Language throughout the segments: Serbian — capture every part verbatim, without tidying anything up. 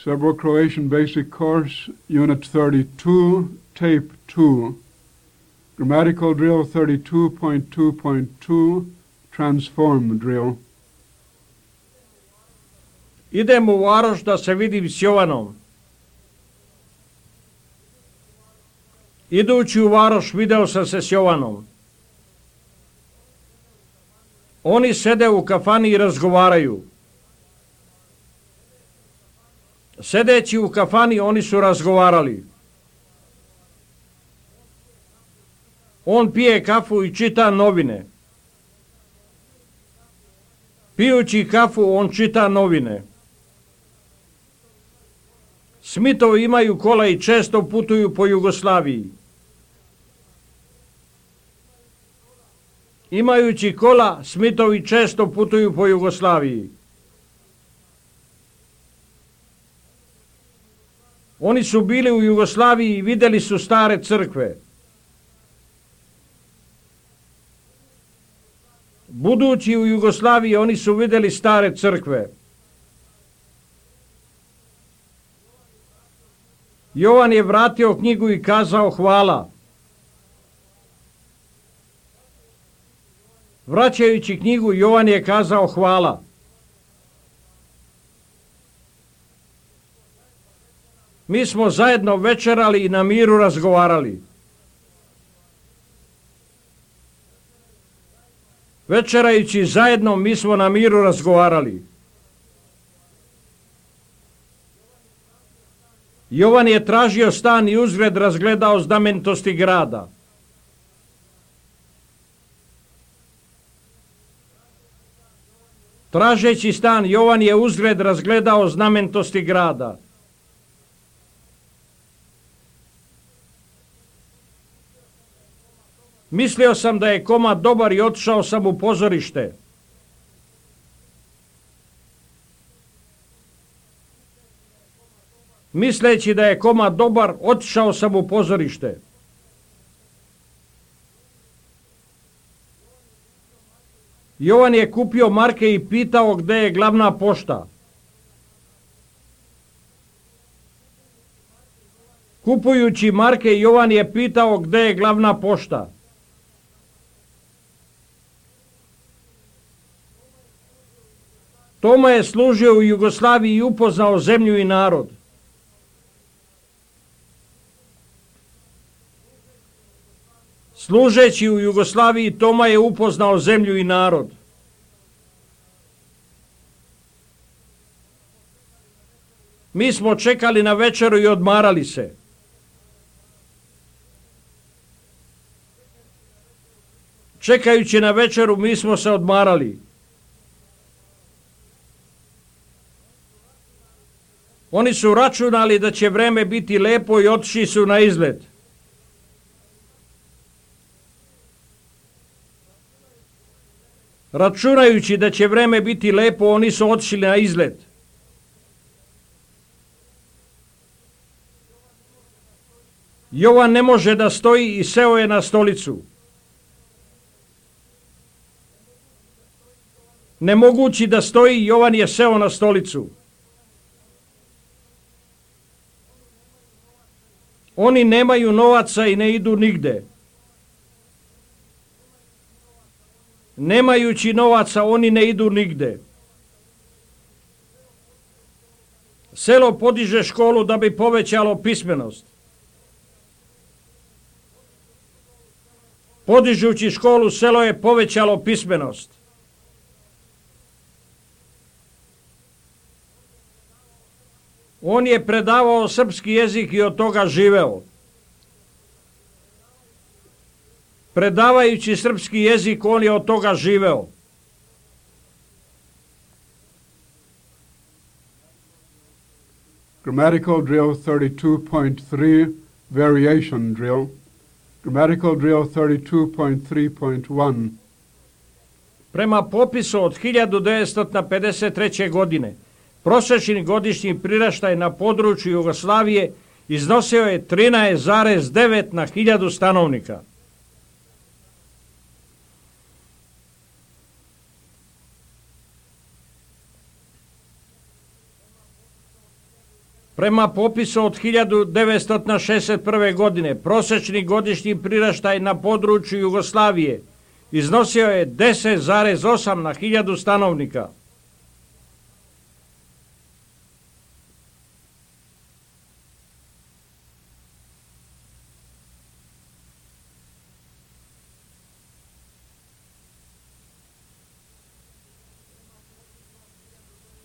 Serbo-Croatian Basic Course, Unit thirty-two, Tape two. Grammatical Drill thirty-two point two point two, Transform Drill. Idem u Varoš da se vidim s Jovanom. Idući u Varoš video sam se s Jovanom. Oni sede u kafani i razgovaraju. Sedeći u kafani oni su razgovarali. On pije kafu i čita novine. Pijući kafu on čita novine. Smithovi imaju kola i često putuju po Jugoslaviji. Imajući kola, Smithovi često putuju po Jugoslaviji. Oni su bili u Jugoslaviji i vidjeli su stare crkve. Budući u Jugoslaviji, oni su vidjeli stare crkve. Jovan je vratio knjigu i kazao hvala. Vraćajući knjigu, Jovan je kazao hvala. Mi smo zajedno večerali i na miru razgovarali. Večerajući zajedno, mi smo na miru razgovarali. Jovan je tražio stan i uzgred razgledao znamenitosti grada. Tražeći stan, Jovan je uzgred razgledao znamenitosti grada. Mislio sam da je komad dobar i otišao sam u pozorište. Misleći da je komad dobar, otišao sam u pozorište. Jovan je kupio marke i pitao gdje je glavna pošta. Kupujući marke, Jovan je pitao gdje je glavna pošta. Toma je služio u Jugoslaviji i upoznao zemlju i narod. Služeći u Jugoslaviji, Toma je upoznao zemlju i narod. Mi smo čekali na večeru i odmarali se. Čekajući na večeru, mi smo se odmarali. Oni su računali da će vreme biti lepo i otišli su na izlet. Računajući da će vreme biti lepo, oni su otišli na izlet. Jovan ne može da stoji i seo je na stolicu. Ne mogući da stoji, Jovan je seo na stolicu. Oni nemaju novaca i ne idu nigde. Nemajući novaca, oni ne idu nigde. Selo podiže školu da bi povećalo pismenost. Podižući školu, selo je povećalo pismenost. On je predavao srpski jezik i od toga živeo. Predavajući srpski jezik, on je od toga živeo. Grammatical Drill thirty-two point three, Variation Drill. Grammatical Drill thirty-two point three point one. Prema popisu od hiljadu devetsto pedeset treće. godine, prosječni godišnji priraštaj na području Jugoslavije iznosio je trinaest zarez devet na hiljadu stanovnika. Prema popisu od hiljadu devetsto šezdeset prve. godine prosječni godišnji priraštaj na području Jugoslavije iznosio je deset zarez osam na hiljadu stanovnika.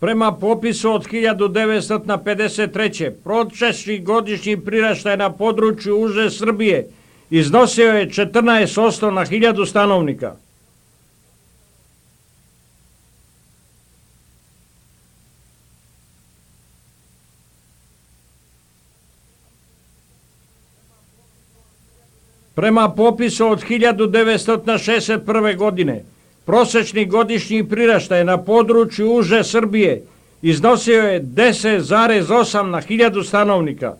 Prema popisu od hiljadu devetsto pedeset treće. prosječni godišnji priraštaj na području uže Srbije iznosio je četrnaest posto na hiljadu stanovnika. Prema popisu od hiljadu devetsto šezdeset prve. godine prosječni godišnji priraštaj na području uže Srbije iznosio je deset zarez osam na hiljadu stanovnika.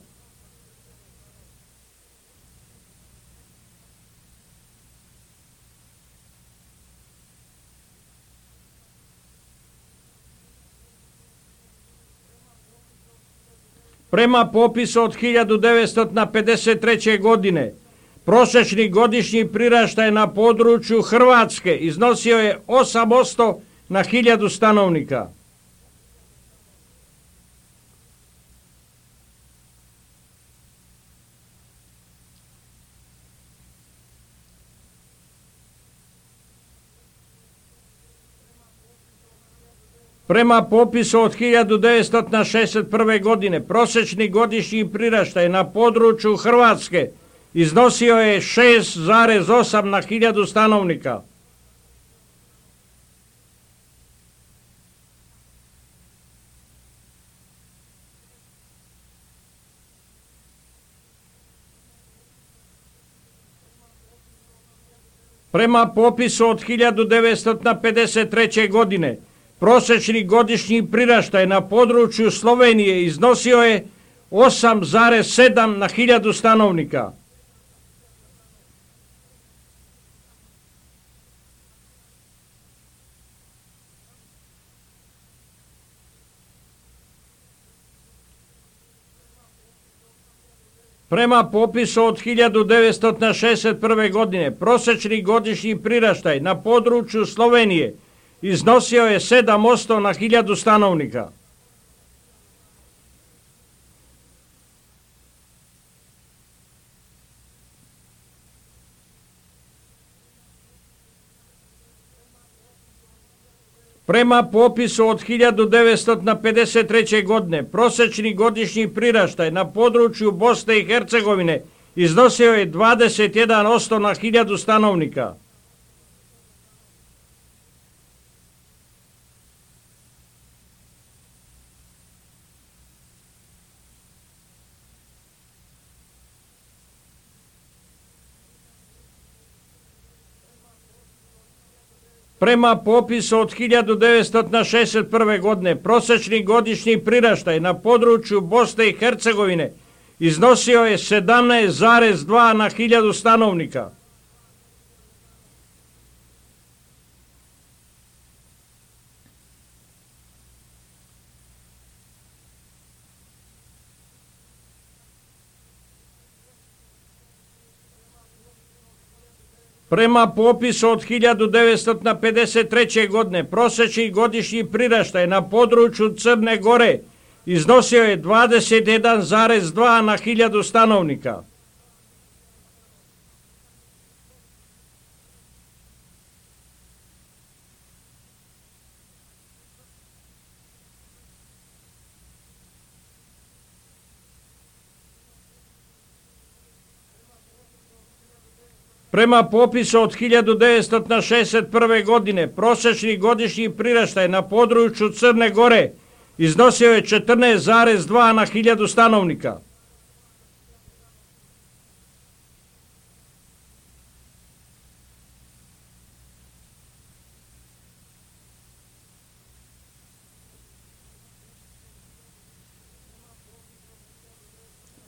Prema popisu od hiljadu devetsto pedeset treće. godine prosječni godišnji priraštaj na području Hrvatske iznosio je osam posto na hiljadu stanovnika. Prema popisu od hiljadu devetsto šezdeset prve. godine prosječni godišnji priraštaj na području Hrvatske iznosio je šest zarez osam na hiljadu stanovnika. Prema popisu od hiljadu devetsto pedeset treće. godine prosječni godišnji priraštaj na području Slovenije iznosio je osam zarez sedam na hiljadu stanovnika. Prema popisu od hiljadu devetsto šezdeset prve. godine prosječni godišnji priraštaj na području Slovenije iznosio je sedam posto na hiljadu stanovnika. Prema popisu od hiljadu devetsto pedeset treće. godine prosječni godišnji priraštaj na području Bosne i Hercegovine iznosio je dvadeset jedan posto na hiljadu stanovnika. Prema popisu od hiljadu devetsto šezdeset prve. godine prosječni godišnji priraštaj na području Bosne i Hercegovine iznosio je sedamnaest zarez dva na hiljadu stanovnika. Prema popisu od hiljadu devetsto pedeset treće. godine prosječni godišnji priraštaj na području Crne Gore iznosio je dvadeset jedan zarez dva na hiljadu stanovnika. Prema popisu od hiljadu devetsto šezdeset prve. godine prosječni godišnji priraštaj na području Crne Gore iznosio je četrnaest zarez dva na hiljadu stanovnika.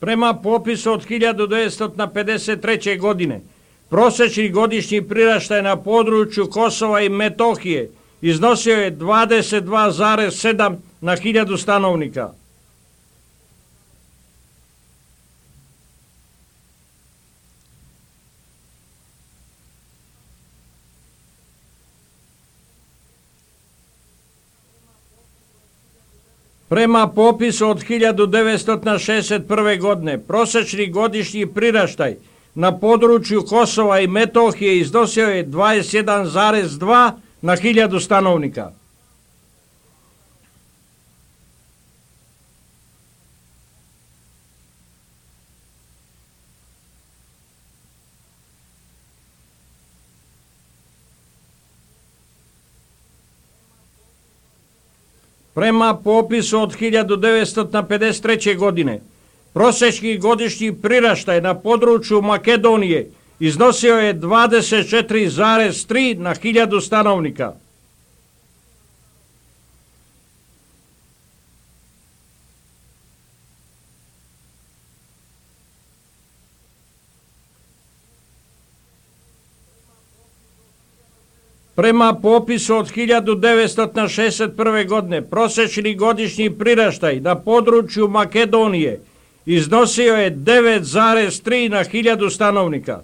Prema popisu od hiljadu devetsto pedeset treće. godine prosječni godišnji priraštaj na području Kosova i Metohije iznosio je dvadeset dva zarez sedam na hiljadu stanovnika. Prema popisu od hiljadu devetsto šezdeset prve. godine, prosječni godišnji priraštaj na području Kosova i Metohije iznosio je dvadeset jedan zarez dva na hiljadu stanovnika. Prema popisu od hiljadu devetsto pedeset treće. godine, prosječni godišnji priraštaj na području Makedonije iznosio je dvadeset četiri zarez tri na hiljadu stanovnika. Prema popisu od hiljadu devetsto šezdeset prve. godine, prosječni godišnji priraštaj na području Makedonije iznosio je devet zarez tri na hiljadu stanovnika.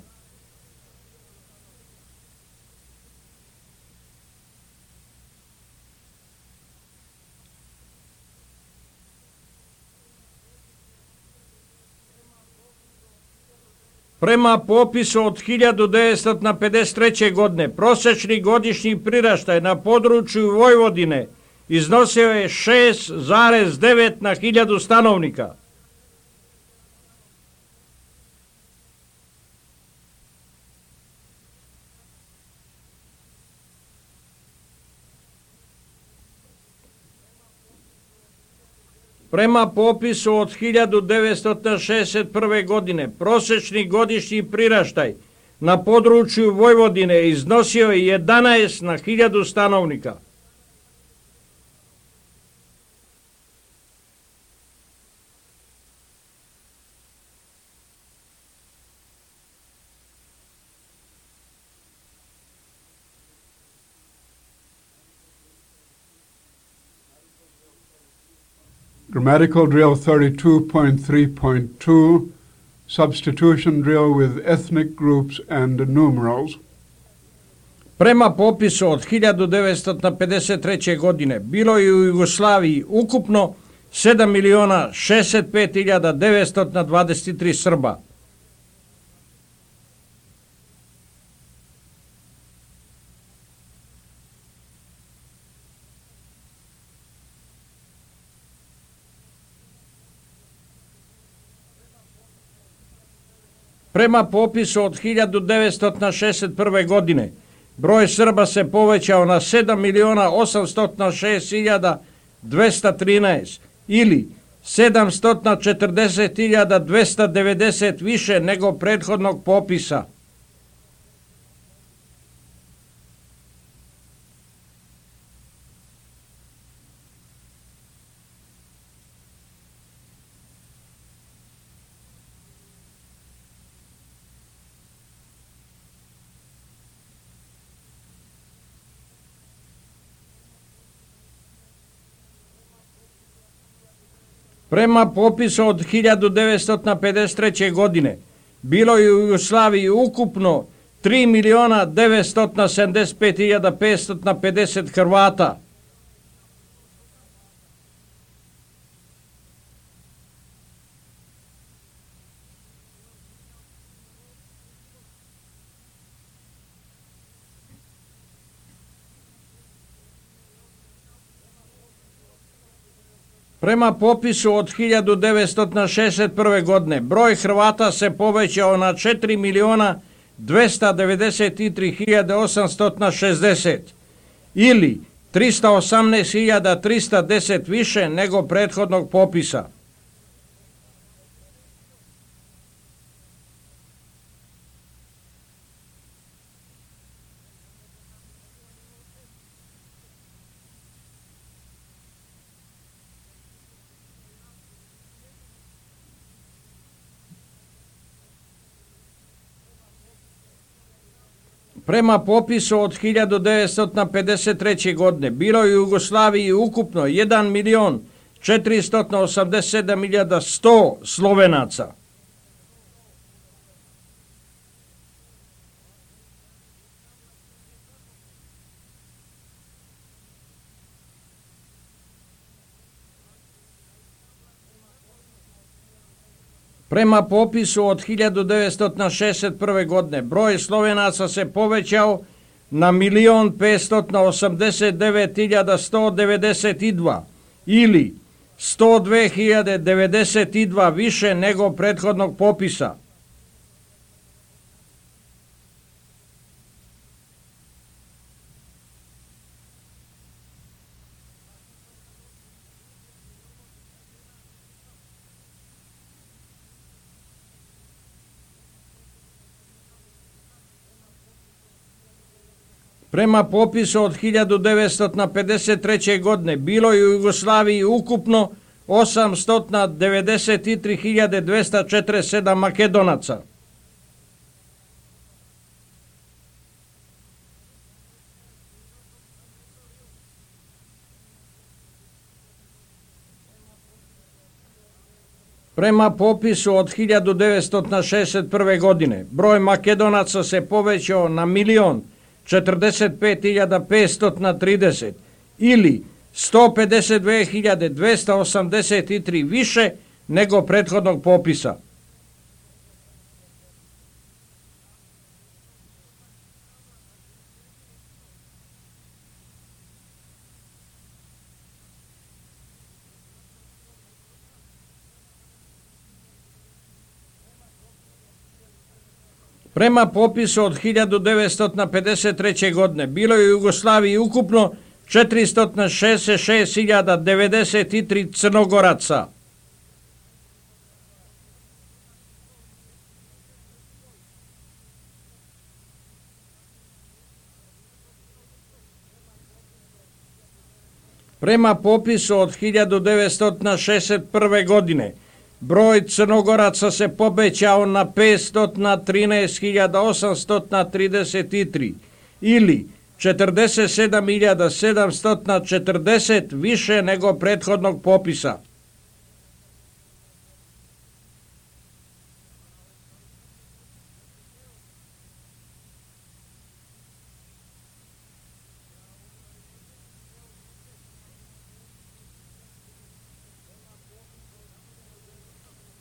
Prema popisu od hiljadu devetsto pedeset treće. godine, prosječni godišnji priraštaj na području Vojvodine iznosio je šest zarez devet na hiljadu stanovnika. Prema popisu od hiljadu devetsto šezdeset prve. godine, prosječni godišnji priraštaj na području Vojvodine iznosio je jedanaest na hiljadu stanovnika. Grammatical drill thirty-two point three point two, substitution drill with ethnic groups and numerals. Prema popisu od hiljadu devetsto pedeset treće. godine bilo je u Jugoslaviji ukupno sedam miliona šezdeset pet hiljada devetsto dvadeset tri Srba. Prema popisu od hiljadu devetsto šezdeset prve. godine broj Srba se povećao na sedam miliona osamsto šest hiljada dvesta trinaest ili sedamsto četrdeset hiljada dvesta devedeset više nego prethodnog popisa. Prema popisu od hiljadu devetsto pedeset treće. godine bilo je u Jugoslaviji ukupno tri miliona devetsto sedamdeset pet hiljada petsto pedeset Hrvata. Prema popisu od hiljadu devetsto šezdeset prve. godine broj Hrvata se povećao na četiri miliona dvesta devedeset tri hiljade osamsto šezdeset ili trista osamnaest hiljada trista deset više nego prethodnog popisa. Prema popisu od hiljadu devetsto pedeset treće. godine bilo je u Jugoslaviji ukupno jedan milion četiristo osamdeset sedam hiljada sto Slovenaca. Prema popisu od hiljadu devetsto šezdeset prve. godine broj Slovenaca se povećao na milion petsto osamdeset devet hiljada sto devedeset dva ili sto dve hiljade devedeset dva više nego prethodnog popisa. Prema popisu od hiljadu devetsto pedeset treće. godine bilo je u Jugoslaviji ukupno osamsto devedeset tri hiljade dvesta četrdeset sedam Makedonaca. Prema popisu od hiljadu devetsto šezdeset prve. godine broj Makedonaca se povećao na milion četrdeset pet hiljada petsto trideset ili sto pedeset dve hiljade dvesta osamdeset tri više nego prethodnog popisa. Prema popisu od hiljadu devetsto pedeset treće. godine bilo je u Jugoslaviji ukupno četiristo šezdeset šest hiljada devedeset tri Crnogoraca. Prema popisu od hiljadu devetsto šezdeset prve. godine broj Crnogoraca se povećao na petsto trinaest hiljada osamsto trideset tri ili četrdeset sedam hiljada sedamsto četrdeset više nego prethodnog popisa.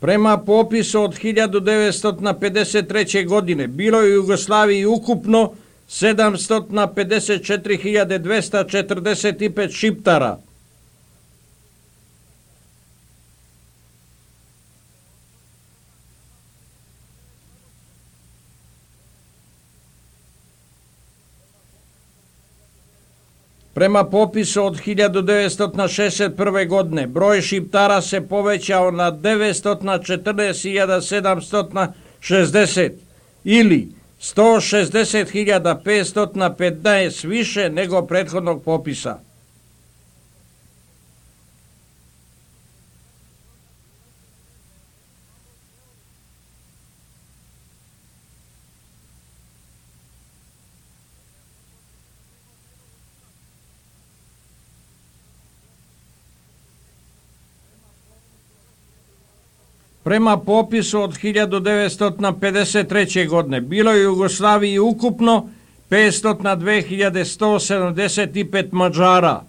Prema popisu od hiljadu devetsto pedeset treće. godine bilo je u Jugoslaviji ukupno sedamsto pedeset četiri hiljade dvesta četrdeset pet Šiptara. Prema popisu od hiljadu devetsto šezdeset prve. godine broj Šiptara se povećao na devetsto četrnaest hiljada sedamsto šezdeset ili sto šezdeset hiljada petsto petnaest više nego prethodnog popisa. Prema popisu od hiljadu devetsto pedeset treće. godine bilo je u Jugoslaviji ukupno petsto dve hiljade sto sedamdeset pet Mađara.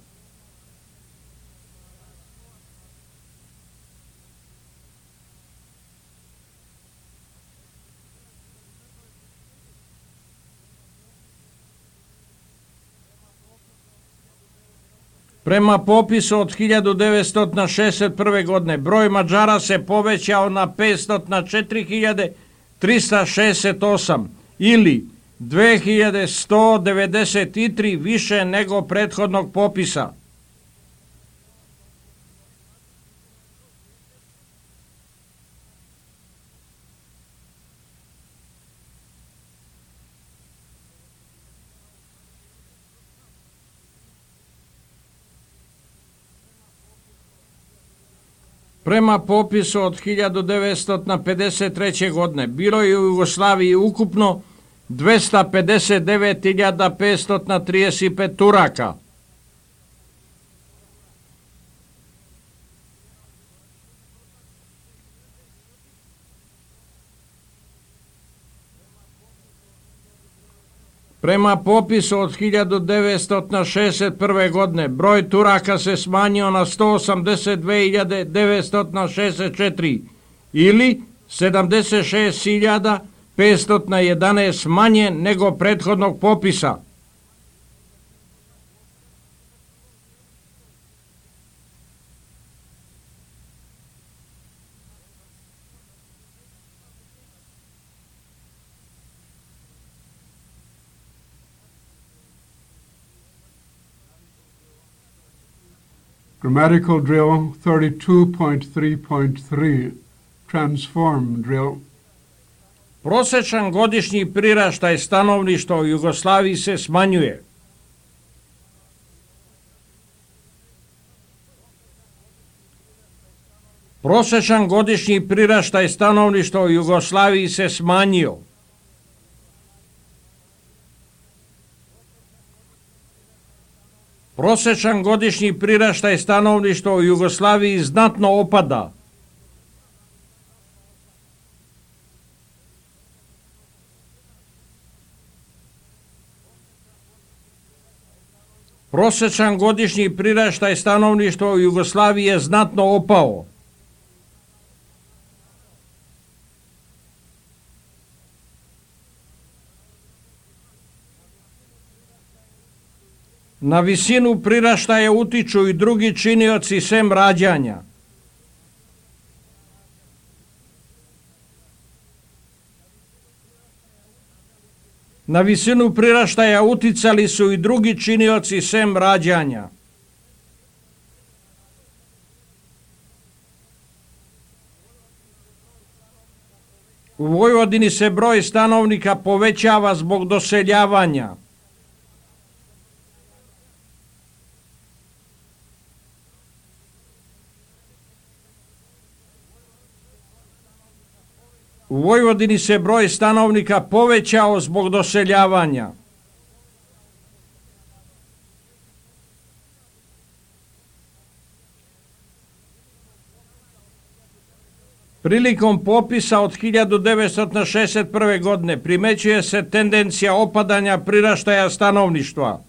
Prema popisu od hiljadu devetsto šezdeset prve. godine broj Mađara se povećao na petsto četiri hiljade trista šezdeset osam ili dve hiljade sto devedeset tri više nego prethodnog popisa. Prema popisu od hiljadu devetsto pedeset treće. godine bilo je u Jugoslaviji ukupno dvesta pedeset devet hiljada petsto trideset pet Turaka. Prema popisu od hiljadu devetsto šezdeset prve. godine broj Turaka se smanjio na sto osamdeset dve hiljade devetsto šezdeset četiri ili sedamdeset šest hiljada petsto jedanaest manje nego prethodnog popisa. Grammatical drill thirty-two point three point three, transform drill. Prosječan godišnji priraštaj stanovništva u Jugoslaviji se smanjuje. Prosječan godišnji priraštaj stanovništva u Jugoslaviji se smanjio. Prosječan godišnji priraštaj stanovništva u Jugoslaviji znatno opada. Prosječan godišnji priraštaj stanovništva u Jugoslaviji je znatno opao. Na visinu priraštaja utiču i drugi činioci sem rađanja. Na visinu priraštaja uticali su i drugi činioci sem rađanja. U Vojvodini se broj stanovnika povećava zbog doseljavanja. U Vojvodini se broj stanovnika povećao zbog doseljavanja. Prilikom popisa od hiljadu devetsto šezdeset prve. godine primećuje se tendencija opadanja priraštaja stanovništva.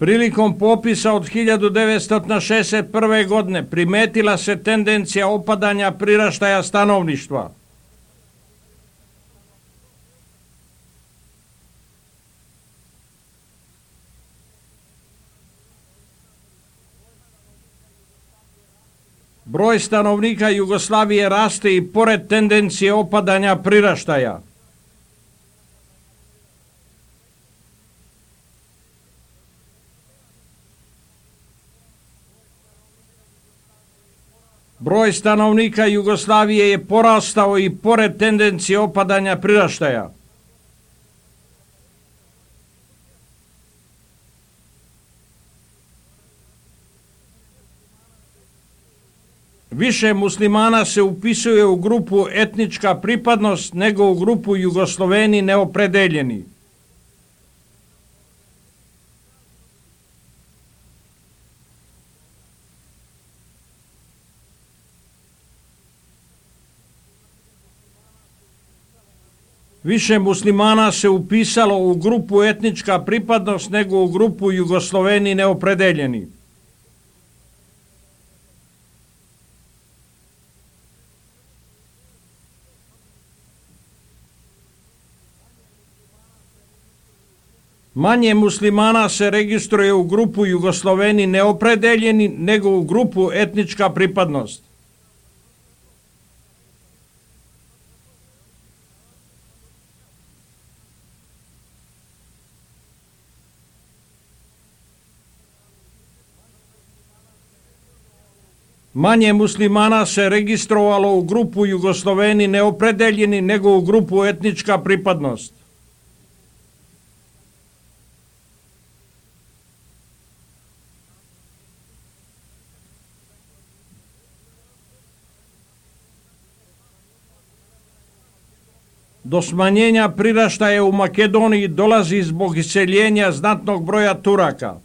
Prilikom popisa od hiljadu devetsto šezdeset prve. godine primetila se tendencija opadanja priraštaja stanovništva. Broj stanovnika Jugoslavije raste i pored tendencije opadanja priraštaja. Broj stanovnika Jugoslavije je porastao i pored tendencije opadanja priraštaja. Više muslimana se upisuje u grupu etnička pripadnost nego u grupu Jugosloveni neopredeljeni. Više muslimana se upisalo u grupu etnička pripadnost nego u grupu Jugosloveni neopredeljeni. Manje muslimana se registruje u grupu Jugosloveni neopredeljeni nego u grupu etnička pripadnost. Manje muslimana se registrovalo u grupu Jugosloveni neopredeljeni nego u grupu etnička pripadnost. Do smanjenja priraštaja u Makedoniji dolazi zbog iseljenja znatnog broja Turaka.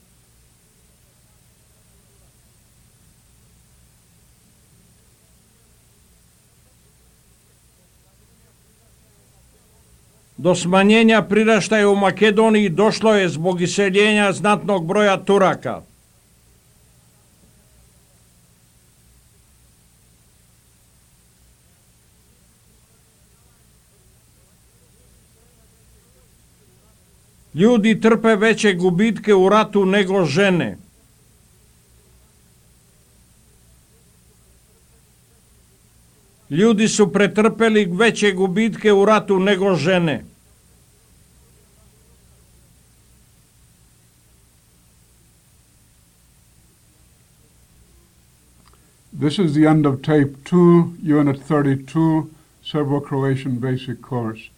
Do smanjenja priraštaja u Makedoniji došlo je zbog iseljenja znatnog broja Turaka. Ljudi trpe veće gubitke u ratu nego žene. Ljudi su pretrpeli veće gubitke u ratu nego žene. This is the end of tape two, unit thirty-two, Serbo-Croatian basic course.